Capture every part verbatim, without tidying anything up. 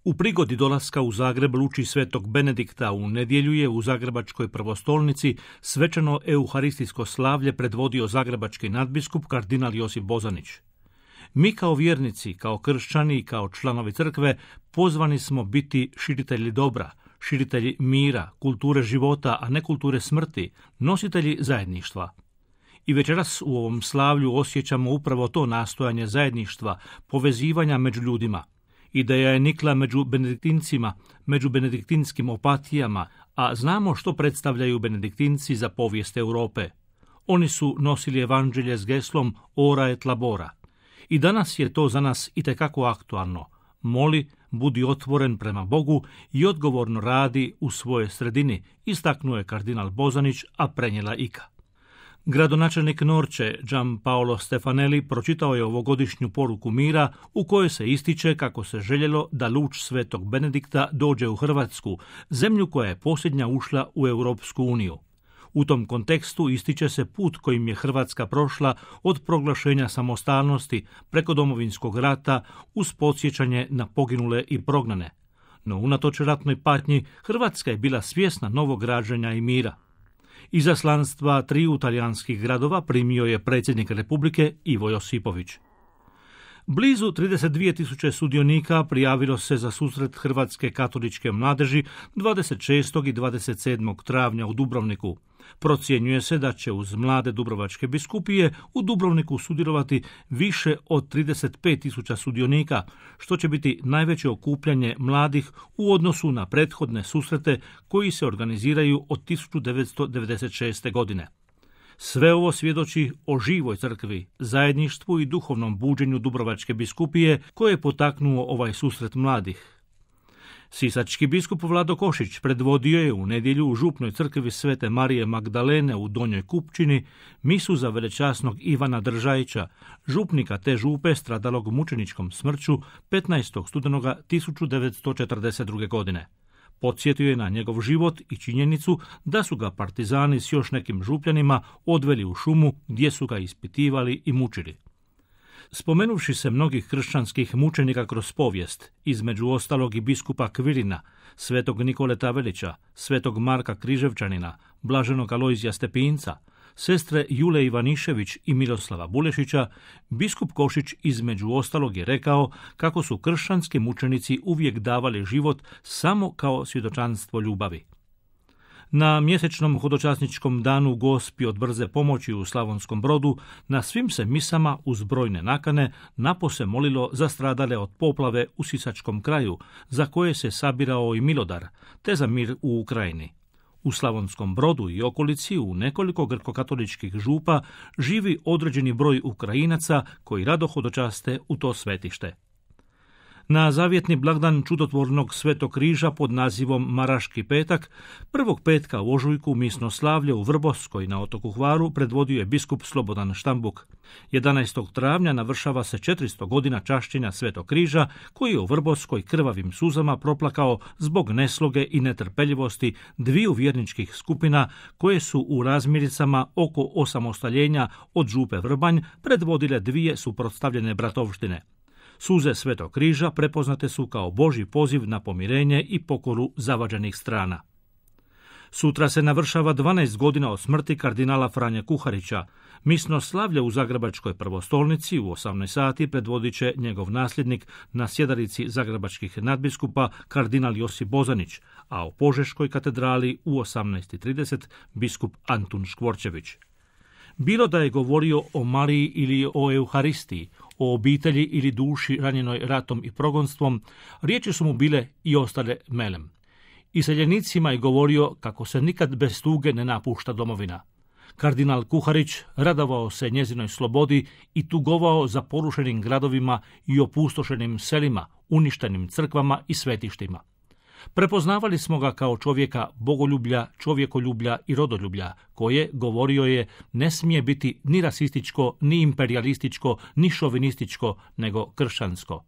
U prigodi dolaska u Zagreb luči svetog Benedikta u nedjelju je u Zagrebačkoj prvostolnici svečano euharistijsko slavlje predvodio zagrebački nadbiskup kardinal Josip Bozanić. Mi kao vjernici, kao kršćani i kao članovi crkve pozvani smo biti širitelji dobra, širitelji mira, kulture života, a ne kulture smrti, nositelji zajedništva. I večeras u ovom slavlju osjećamo upravo to nastojanje zajedništva, povezivanja među ljudima. Ideja je nikla među benediktincima, među benediktinskim opatijama, a znamo što predstavljaju benediktinci za povijest Europe. Oni su nosili evanđelje s geslom Ora et labora. I danas je to za nas itekako aktualno. Moli, budi otvoren prema Bogu i odgovorno radi u svojoj sredini, istaknuo je kardinal Bozanić, a prenijela Ika. Gradonačelnik Norče, Gianpaolo Stefanelli, pročitao je ovogodišnju poruku mira u kojoj se ističe kako se željelo da luč svetog Benedikta dođe u Hrvatsku, zemlju koja je posljednja ušla u Europsku uniju. U tom kontekstu ističe se put kojim je Hrvatska prošla od proglašenja samostalnosti preko Domovinskog rata uz podsjećanje na poginule i prognane. No unatoč ratnoj patnji, Hrvatska je bila svjesna novog rađanja i mira. Izaslanstva triju talijanskih gradova primio je predsjednik Republike Ivo Josipović. Blizu trideset dvije tisuće sudionika prijavilo se za susret Hrvatske katoličke mladeži dvadeset šestog i dvadeset sedmog travnja u Dubrovniku. Procjenjuje se da će uz mlade dubrovačke biskupije u Dubrovniku sudjelovati više od trideset pet tisuća sudionika, što će biti najveće okupljanje mladih u odnosu na prethodne susrete koji se organiziraju od tisuću devetsto devedeset šeste. godine. Sve ovo svjedoči o živoj crkvi, zajedništvu i duhovnom buđenju Dubrovačke biskupije koje je potaknuo ovaj susret mladih. Sisački biskup Vlado Košić predvodio je u nedjelju u župnoj crkvi Svete Marije Magdalene u Donjoj Kupčini misu za velečasnog Ivana Držajića, župnika te župe stradalog mučeničkom smrću petnaestog studenoga tisuću devetsto četrdeset druge. godine. Podsjetio je na njegov život i činjenicu da su ga partizani s još nekim župljanima odveli u šumu gdje su ga ispitivali i mučili. Spomenuvši se mnogih kršćanskih mučenika kroz povijest, između ostalog i biskupa Kvirina, svetog Nikole Tavelića, svetog Marka Križevčanina, blaženog Alojzija Stepinca, sestre Jule Ivanišević i Miroslava Bulešića, biskup Košić između ostalog je rekao kako su kršćanski mučenici uvijek davali život samo kao svjedočanstvo ljubavi. Na mjesečnom hodočasničkom danu Gospi od brze pomoći u Slavonskom Brodu na svim se misama uz brojne nakane napose molilo za stradale od poplave u Sisačkom kraju, za koje se sabirao i milodar, te za mir u Ukrajini. U Slavonskom Brodu i okolici u nekoliko grkokatoličkih župa živi određeni broj Ukrajinaca koji rado hodočaste u to svetište. Na zavjetni blagdan čudotvornog Svetog križa pod nazivom Maraški petak, prvog petka u ožujku misno slavlje u Vrboskoj na otoku Hvaru predvodio je biskup Slobodan Štambuk. jedanaestog travnja navršava se četiristo godina čašćenja Svetog križa koji je u Vrboskoj krvavim suzama proplakao zbog nesloge i netrpeljivosti dviju vjerničkih skupina koje su u razmiricama oko osamostaljenja od župe Vrbanj predvodile dvije suprotstavljene bratovštine. Suze Svetog križa prepoznate su kao Božji poziv na pomirenje i pokoru zavađenih strana. Sutra se navršava dvanaest godina od smrti kardinala Franje Kuharića. Misno slavlje u Zagrebačkoj prvostolnici u osamnaest sati predvodit će njegov nasljednik na sjedalici zagrebačkih nadbiskupa kardinal Josip Bozanić, a u Požeškoj katedrali u osamnaest trideset biskup Antun Škvorčević. Bilo da je govorio o Mariji ili o Euharistiji, o obitelji ili duši ranjenoj ratom i progonstvom, riječi su mu bile i ostale melem. Iseljenicima je govorio kako se nikad bez tuge ne napušta domovina. Kardinal Kuharić radovao se njezinoj slobodi i tugovao za porušenim gradovima i opustošenim selima, uništenim crkvama i svetištima. Prepoznavali smo ga kao čovjeka bogoljublja, čovjekoljublja i rodoljublja, koje, govorio je, ne smije biti ni rasističko, ni imperijalističko, ni šovinističko, nego kršćansko.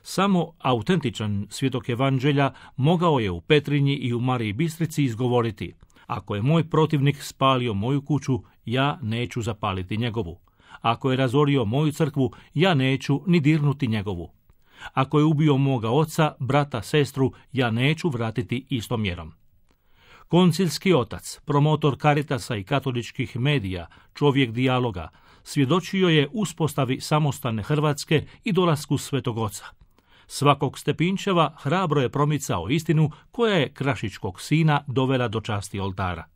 Samo autentičan svjedok evanđelja mogao je u Petrinji i u Mariji Bistrici izgovoriti: ako je moj protivnik spalio moju kuću, ja neću zapaliti njegovu. Ako je razorio moju crkvu, ja neću ni dirnuti njegovu. Ako je ubio moga oca, brata, sestru, ja neću vratiti istom mjerom. Koncilski otac, promotor Caritasa i katoličkih medija, čovjek dijaloga, svjedočio je uspostavi samostalne Hrvatske i dolasku Svetog Oca. Svakog Stepinčeva hrabro je promicao istinu koja je krašičkog sina dovela do časti oltara.